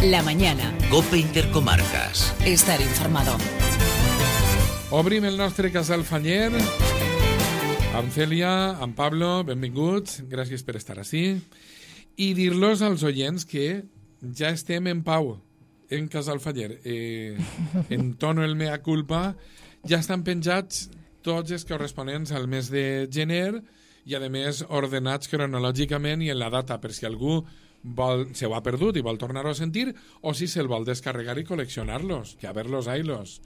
La mañana. COPE Intercomarcas. Estar informado. Obrim el nostre casal fanyer. Amb Cèlia, amb Pablo, benvinguts. Gràcies per estar ací. I dir-los als oients que ja estem en pau en Casal Faller. En tono el mea culpa. Ja estan penjats tots els corresponents al mes de gener i, a més, ordenats cronològicament i en la data, per si algú se ho ha perdut i vol tornar-ho a sentir, o si se'l vol descarregar i col·leccionar-los, que a verlos, ailos.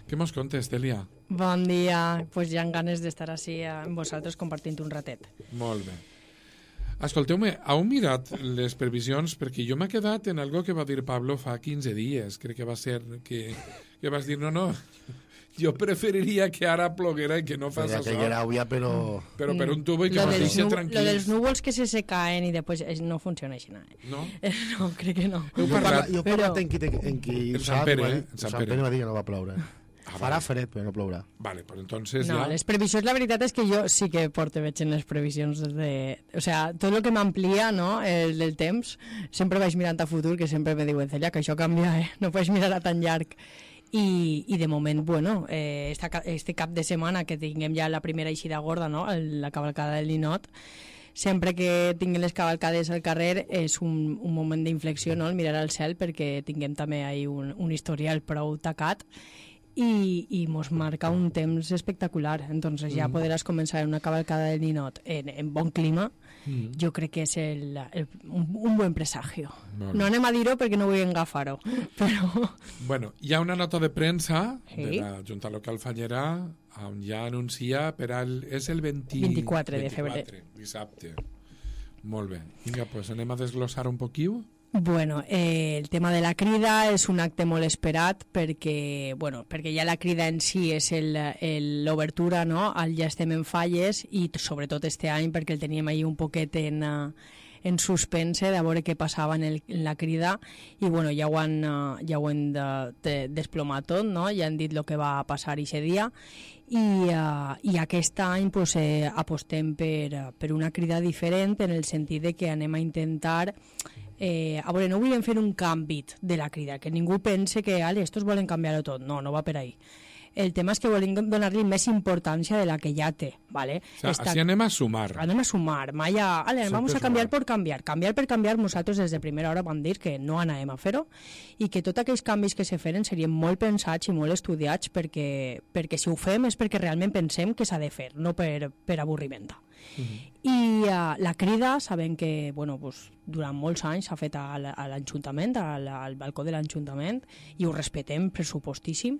Què mos contes, Cèlia? Bon dia. Pues ja han ganes d'estar així amb vosaltres compartint un ratet. Molt bé. Escolteu-me, heu mirat les previsions? Perquè jo m'he quedat en algo que va dir Pablo fa 15 dies. Crec que va ser que vas dir, no, jo preferiria que ara ploguera i que no fas això. Que era obvia, però per un tubo i que mos deixa tranquils. Lo dels núvols que se caen i després no funciona així. No? No, crec que no. Heu parlat? Jo he parlat en qui en Sant Pere, Sant Pere va dir que no va ploure. Farà fred, però no plourà. Vale, pues entonces no, ja... les previsions, la veritat és que jo sí que veig en les previsions o sea, tot el que m'amplia, no, el del temps, sempre vaig mirant a futur, que sempre me diuen, Cèlia, que això canvia, no pots mirar a tan llarg. I de moment, bueno, este cap de setmana que tinguem ja la primera eixida gorda, no? La cavalcada del ninot, sempre que tinguem les cavalcades al carrer és un moment d'inflexió, no? El mirar al cel, perquè tinguem també ahí un historial prou tacat i mos marca un temps espectacular. Entonces ja podràs començar una cavalcada del ninot en bon clima. Jo crec que és un bon presagio. Bueno. No anem a dir-ho perquè no vull agafar-ho, però... Bueno, hi ha una nota de premsa de la Junta Local Fallera on ja anuncia és el 24 de febrer. Dissabte. Molt bé. Vinga, pues anem a desglossar un poquiu. Bueno, el tema de la crida és un acte molt esperat perquè ja la crida en si és l'obertura, no? Ja estem en falles i sobretot este any perquè el teníem ahí un poquet en suspense de veure què passava en la crida i bueno, ja ho han desplomat tot, no? Ja han dit el que va passar aquest dia i aquest any pues, apostem per una crida diferent en el sentit de que anem a intentar a veure, no volem fer un canvi de la crida, que ningú pense que estos volen canviar-ho tot, no va per ahí. El tema és que volem donar-li més importància de la que ja té, ¿vale? O sea, així anem a sumar. Anem a sumar, vamos a canviar per canviar. Canviar per canviar, nosaltres des de primera hora vam dir que no anàvem a fer-ho i que tots aquells canvis que se feren serien molt pensats i molt estudiats perquè si ho fem és perquè realment pensem que s'ha de fer, no per avorriment. I la crida, sabem que durant molts anys s'ha fet a l'Ajuntament, al balcó de l'Ajuntament, i ho respetem pressupostíssim,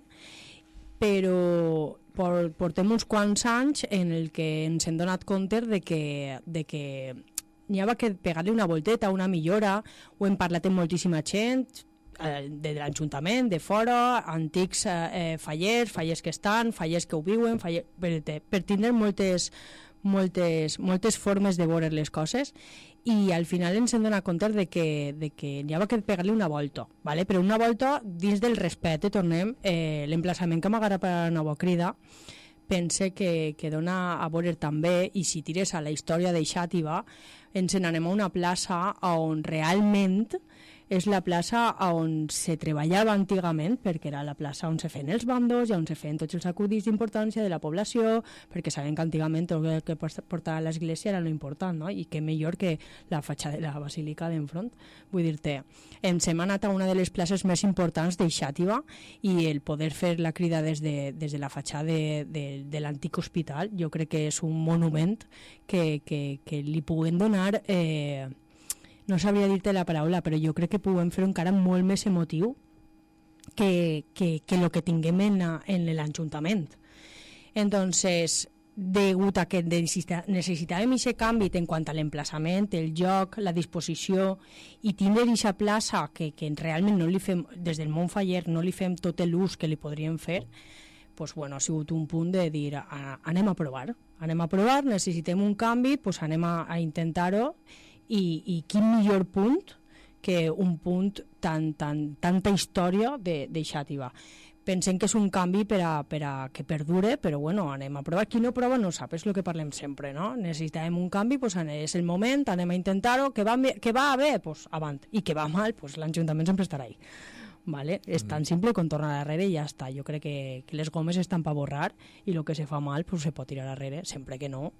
però portem uns quants anys en el que ens hem donat compte de que n'hi havia que pegar-li una volteta, una millora, ho hem parlat amb moltíssima gent, de l'Ajuntament, de fora, antics fallers que estan, fallers que ho viuen, per tindre moltes formes de veure les coses i al final ens hem donat compte de que n'hi havia que pegar-li una volta, ¿vale? Però una volta dins del respecte, tornem, l'emplaçament que m'agrada per a la nova crida pense que dona a veure també, i si tires a la història de Xàtiva, ens n'anem a una plaça on realment és la plaça on se treballava antigament, perquè era la plaça on se feien els bandos i on se feien tots els acudits d'importància de la població, perquè sabem que antigament tot el que portava a l'església era lo important, no? I que millor que la fatxada de la basílica d'enfront. Vull dir-te, ens hem anat a una de les places més importants de Xàtiva i el poder fer la crida des de la fatxada de l'antic hospital, jo crec que és un monument que li puguem donar... no sabria dir-te la paraula, però jo crec que puguem fer encara molt més emotiu que el que tinguem en l'Ajuntament. Entonces, degut a que necessitàvem aquest canvi en quant a l'emplaçament, el lloc, la disposició, i tindre aquesta plaça que realment no li fem, des del món faller, no li fem tot l'ús que li podríem fer, pues, ha sigut un punt de dir, anem a provar, necessitem un canvi, pues anem a intentar-ho, i quin millor punt que un punt tanta història de Xàtiva. pensem que és un canvi per a que perdure, però bueno, anem a provar. Qui no prova no sap, és el que parlem sempre, no? Necessitem un canvi, pues, és el moment, anem a intentar-ho, que va bé, pues, avant, i que va mal, pues, l'Ajuntament sempre estarà ahí. Vale? És tan simple com tornar darrere i ja està. Jo crec que les gomes estan per borrar i el que se fa mal pues, se pot tirar darrere, sempre que no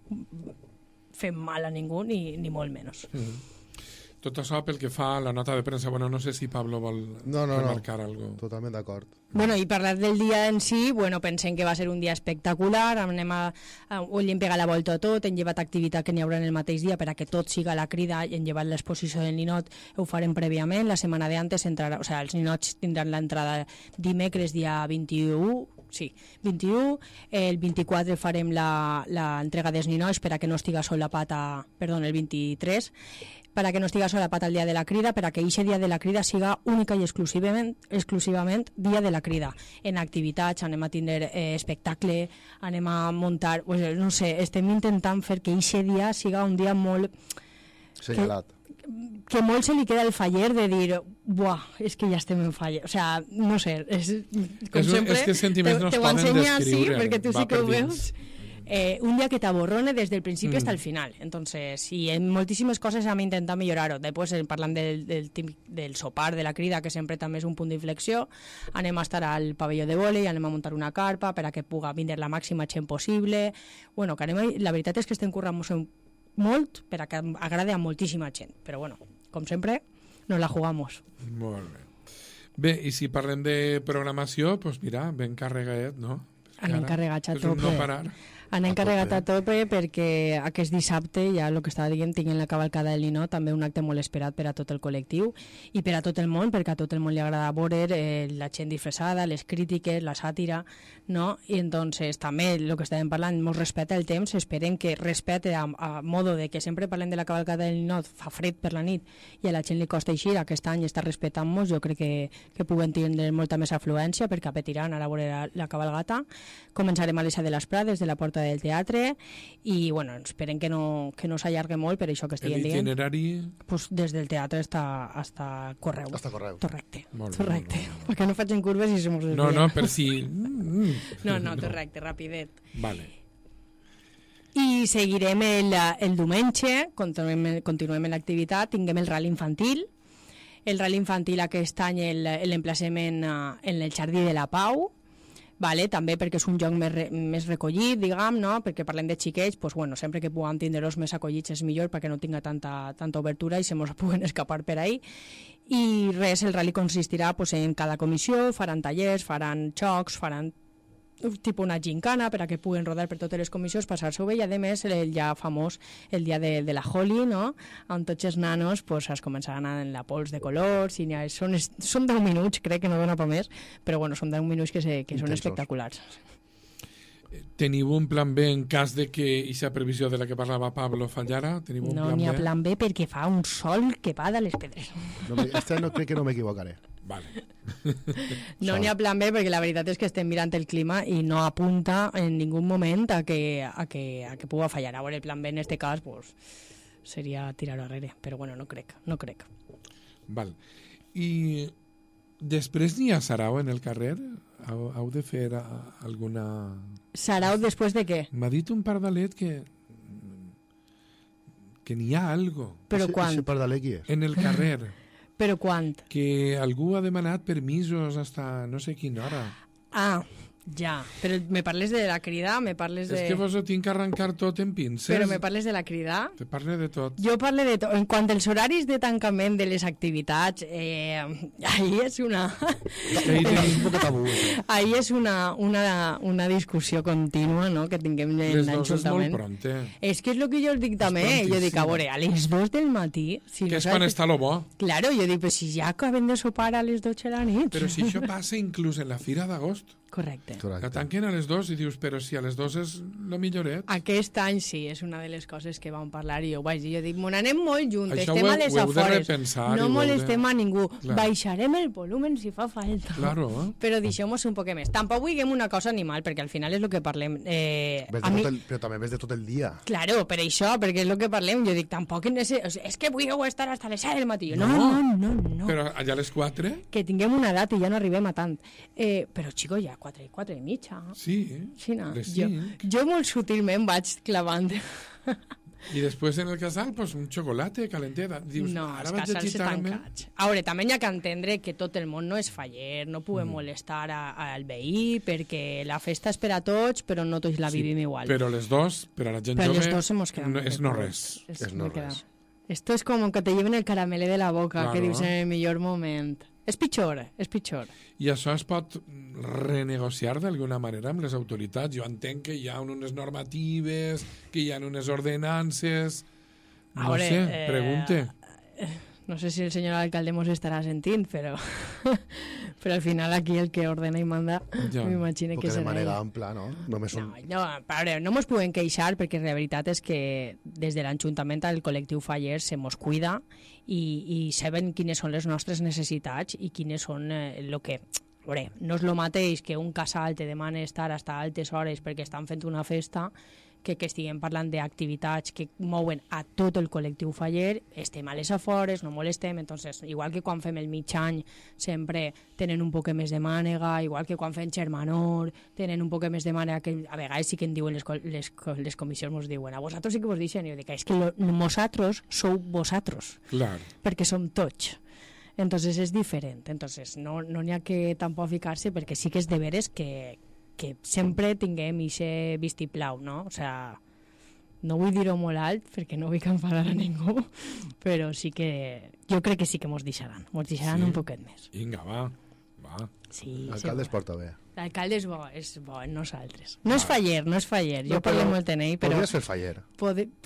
fem mal a ningú ni molt menys. Tot això pel que fa a la nota de premsa, bueno, no sé si Pablo vol remarcar alguna cosa. Totalment d'acord. Bueno, i parlar del dia en si, bueno, pensem que va ser un dia espectacular, ho hem pegat la volta a tot, hem llevat activitat que n'hi haurà en el mateix dia per a que tot siga la crida, hem llevat l'exposició del ninot, ho farem prèviament, la setmana d'antes entrarà, o sigui, els ninots tindran l'entrada dimecres dia 21, sí, 21, el 24 farem l'entrega dels ninots per a que no estiga solapat el 23, per a que no estiga solapat el dia de la crida, per a que aquest dia de la crida siga única i exclusivament dia de la crida. En activitats, anem a tindre espectacle, anem a muntar, no sé, estem intentant fer que aquest dia siga un dia molt... Senyalat. Que molt se li queda el faller de dir, buah, és que ja estem en faller. O sea, no sé, com sempre... És que sentiments no es poden descriure. Sí, perquè tu sí que ho veus. Un dia que t'aborrone des del principi hasta el final. Entonces, sí, en moltíssimes coses hem intentat millorar-ho. Després, parlant del sopar, de la crida, que sempre també és un punt d'inflexió, anem a estar al pavelló de vòlei, anem a muntar una carpa per a que puga vindre la màxima gent possible. Bueno, que la veritat és que estem currant molt per a que agrade a moltíssima gent. Però bueno, com sempre, nos la jugamos. Molt bé. Bé, i si parlem de programació, doncs mira, ben carregat, no? Anem carregats a tope. És un no parar. Anem carregat a tope perquè aquest dissabte, ja el que estava dient, tinguem la cavalcada del Ninot, també un acte molt esperat per a tot el col·lectiu i per a tot el món, perquè a tot el món li agrada veure la gent disfressada, les crítiques, la sàtira, no? I entonces també el que estàvem parlant, molt respecte al temps, esperem que respecte a modo de que sempre parlem de la cavalcada del Ninot, fa fred per la nit i a la gent li costa eixir, aquest any està respectant-nos, jo crec que puguem tindre molta més afluència perquè apetiran a veure la cavalgata. Començarem a les de les Prades, de la Porta del Teatre, i bueno, esperem que no s'allargue molt per això que estiguen dient. L'itinerari? Pues des del teatre hasta Correu. Hasta Correu. Correcte. Molt Perquè no facin curves i se mos desvien. No, per si... No, correcte, rapidet. Vale. I seguirem el diumenge, continuem l'activitat, tinguem el rally infantil. El rally infantil aquest any l'emplacement en el Jardí de la Pau, vale? També perquè és un lloc més recollit, diguem, no? Perquè parlem de xiquets, pues, bueno, sempre que puguem tindre-los més acollits és millor perquè no tinga tanta obertura i se mos puguen escapar per ahí. I res, el rally consistirà pues, en cada comissió, faran tallers, faran xocs, faran tipus una gincana per a que puguen rodar per totes les comissions, passar-s'ho bé, i a més el ja famós el dia de la Holi, no? On tots els nanos pues, es començaran a la pols de colors i són 10 minuts, crec que no dona per més, però bueno, són 10 minuts que són espectaculars. Teniu un plan B en cas de que aquesta previsió de la que parlava Pablo fallara? No n'hi ha plan B perquè fa un sol que va de les pedres. Este no crec que no m'equivocaré. Vale. No n'hi ha plan B perquè la veritat és que estem mirant el clima i no apunta en ningú moment a que pugui fallar. Ara, el plan B en este cas pues, seria tirar-ho darrere, però bueno, no crec. Val. I després n'hi ha sarau en el carrer? Heu de fer alguna... Sarau després de què? M'ha dit un pardalet que n'hi ha algo. Però quan? Ese pardalet qui és? En el carrer. Però quan? Que algú ha demanat permisos hasta no sé quina hora. Ah, ja. Però me parles de la crida? Me parles de... És que vos ho tinc que arrencar tot en pinces. Però me parles de la crida? Te parle de tot. Jo parle de tot. En quant als horaris de tancament de les activitats, ahí és una... ahí és una discussió contínua, no?, que tinguem en l'Ajuntament. Les 2 és molt pront, És que és el que jo dic també. Jo dic, a veure, a les 2 del matí... Si que no és quan està lo bo. Claro, jo dic, pues si ja acabem de sopar a les 12 de la nit. Però si això passa inclús en la Fira d'Agost. Correcte. La tanquen a les 2 i dius, però si a les 2 és lo milloret. Aquest any sí, és una de les coses que vam parlar i jo ho vaig dir. Jo dic, me n'anem molt juntes, Això estem ho a les heu de afores, repensar no i ho heu molestem de- a ningú, Clar. baixarem el volumen si fa falta. Claro. Però deixem-nos un poc més. Tampoc diguem una cosa animal, perquè al final és el que parlem. Però també ves de tot el dia. Claro, per això, perquè és el que parlem. Jo dic, tampoc és que vull estar hasta les 7 del matí. No. Però allà a les 4? Que tinguem una edat i ja no arribem a tant. Però, xico, ja 4 i mitja. Sí, Sí, no. les Jo 5. molt sutilment vaig clavant. I després en el casal, pues, un xocolate calentet. Dius, No, ara els vaig a casals gitar-me. tancats. A veure, també hi ha que entendre que tot el món no és faller, no podem molestar al veí, perquè la festa és per a tots, però no tots la vivim igual. Però les 2, per a la gent Però jove, les dos hemos quedado no, muy és no records. res. És no me queda. res. Esto es como que te lleven el caramelo de la boca, Claro. que dius en el millor moment. És pitjor, és pitjor. I això es pot renegociar d'alguna manera amb les autoritats. Jo entenc que hi ha unes normatives, que hi ha unes ordenances... No Ahora, sé, pregunte. No sé si el senyor alcalde mos estarà sentint, però però al final aquí el que ordena i manda Ja. m'imagino que Perquè de serà manera ell. ampla, no? Només són... No, a veure, no mos podem queixar perquè la veritat és que des de l'Ajuntament el col·lectiu Faller se mos cuida i saben quines són les nostres necessitats i quines són el que... A veure, no és el mateix que un casal te demana estar fins a altes hores perquè estan fent una festa que estiguem parlant d'activitats que mouen a tot el col·lectiu Faller, estem a les afores, no molestem, entonces, igual que quan fem el mig any sempre tenen un poc més de mànega, igual que quan fem Xermanor tenen un poc més de mànega, que a vegades sí que en diuen les comissions, mos diuen, a vosaltres sí que vos deixen, i jo dic, és que nosaltres sou vosaltres, Clar. perquè som tots. Entonces és diferent, entonces no n'hi ha que tampoc ficar-se, perquè sí que és de veres que sempre tinguem ixe vistiplau, no? O sea, no vull dir-ho molt alt perquè no vull que enfadar a ningú, però sí que jo crec que sí que mos deixaran Sí. un poquet més. Vinga, va. Sí, L'alcalde es sí, porta bé. l'alcalde és bo en nosaltres. No és faller, jo No, parlo però molt en ell, però... Podries fer faller.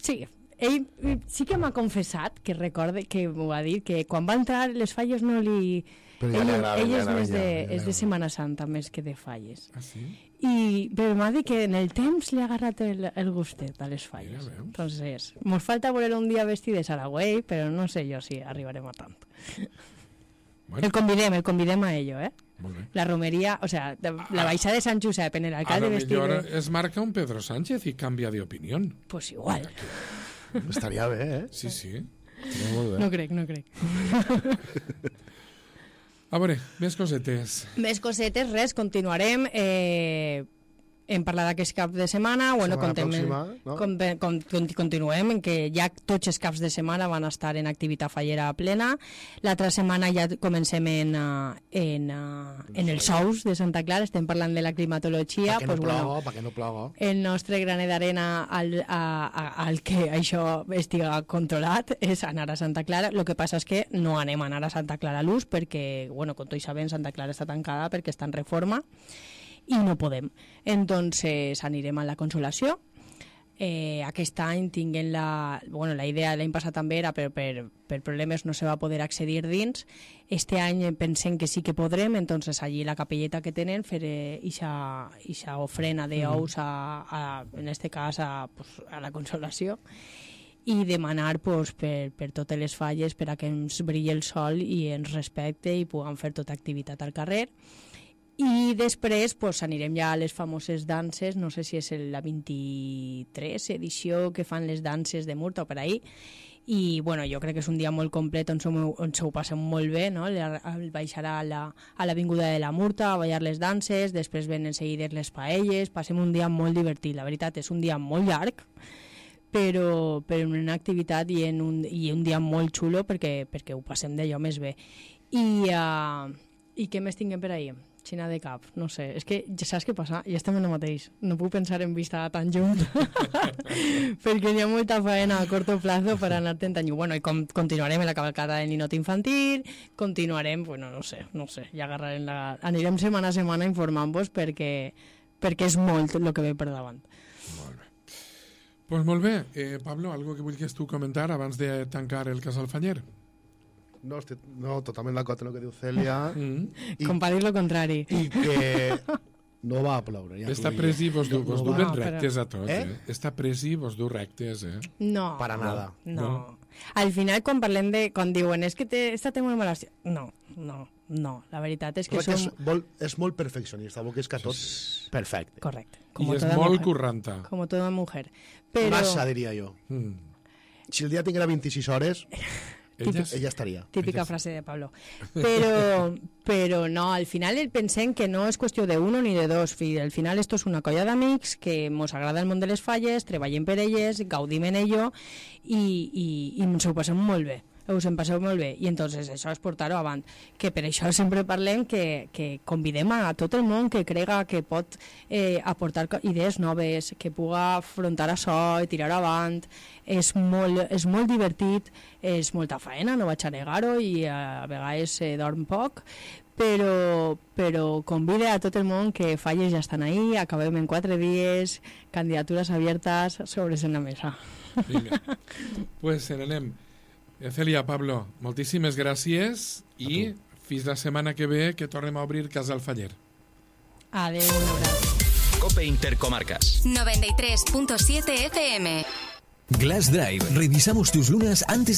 Sí, ell sí que m'ha confessat, que recorde que m'ho va dir, que quan va entrar les falles no li... Però ja li agrada, ell ja és li més agrada, és de Setmana Santa més que de falles. Ah, sí? Però m'ha dit que en el temps li ha agarrat el gustet a les falles. Mira, veus. Entonces, mos falta veure un dia vestit de Saragüey, però no sé jo si arribarem a tant. Bueno, El convidem a ello, eh? molt bé. La romeria, o sea, la baixada de Sant Josep en el A alcalde lo vestit millor de... es marca un Pedro Sánchez i canvia d'opinió. Pues igual. Estaria bé, eh? Sí, sí. Estaria molt bé. No crec. A veure, més cosetes. Més cosetes, res, continuarem. Hem parlat d'aquest cap de setmana. Bueno, Setmana pròxima, no? Continuem en que ja tots els caps de setmana van estar en activitat fallera plena. L'altra setmana ja comencem en els sous de Santa Clara. Estem parlant de la climatologia. Perquè no ploga. El nostre graner d'arena al que això estiga controlat és anar a Santa Clara. El que passa és que no anem a anar a Santa Clara a l'ús perquè, bueno, com tots sabem, Santa Clara està tancada perquè està en reforma i no podem. Entonces anirem a la Consolació. Aquest any tinguem la idea l'any passat també era per problemes no se va poder accedir dins. Este any pensem que sí que podrem, entonces allí la capelleta que tenen fer ixa ofrena d'ous en este cas a la Consolació i demanar per totes les falles per a que ens brilli el sol i ens respecte i puguem fer tota activitat al carrer. I després anirem ja a les famoses danses, no sé si és la 23 edició que fan les danses de Murta o per ahí, i bueno, jo crec que és un dia molt complet on se ho passem molt bé, no? Baixar a l'avinguda de la Murta a ballar les danses, després venen seguides les paelles, passem un dia molt divertit, la veritat és un dia molt llarg, però en una activitat i un dia molt xulo perquè ho passem d'allò més bé. I què més tinguem per ahí? Xina de cap, no sé, és que ja saps què passa, ja estem en el mateix, no puc pensar en vista tan junt perquè hi ha molta feina a corto plazo per anar-te'n tan lluny. Bueno, i continuarem en la cavalcada del ninot infantil, continuarem, bueno, no sé, ja anirem setmana a setmana informant-vos perquè és molt el que ve per davant. Molt bé. Pues molt bé. Pablo, algo que vulguis tu comentar abans de tancar el Casal Fanyer? No, totalment d'acord amb el que diu Cèlia. Com per dir lo contrari. I que No va ploure. Ja Està pres i vos du ben rectes a tots, Està pres i vos du rectes, No. Para nada. No. Al final, quan parlem quan diuen és que esta té molt mala... No. La veritat és que és molt perfeccionista, vol que és que tot perfecte. Correcte. I és molt curranta. Com tota mujer. Però... Massa, diria jo. Si el dia tinguera 26 hores... Ella estaria. Típica frase de Pablo. Però no, al final pensem que no és qüestió de uno ni de dos. Al final esto és una colla d'amics que mos agrada el món de les falles, treballem per elles, gaudim en ello i ens ho passem molt bé. Us en passeu molt bé, i entonces això és portar-ho avant, que per això sempre parlem que convidem a tot el món que crega que pot aportar idees noves, que puga afrontar això i tirar avant. És molt divertit, és molta faena, no vaig a negar-ho, i a vegades dorm poc, però convide a tot el món que falles ja estan ahí, acabem en 4 dies, candidatures abiertes sobre la mesa. Vinga, pues n'anem. Cèlia, Pablo, moltíssimes gràcies i fins la setmana que ve que tornem a obrir Casal Faller. Adéu, un abraç. COPE Intercomarcas 93.7 FM. Glass Drive. Revisamos tus lunas antes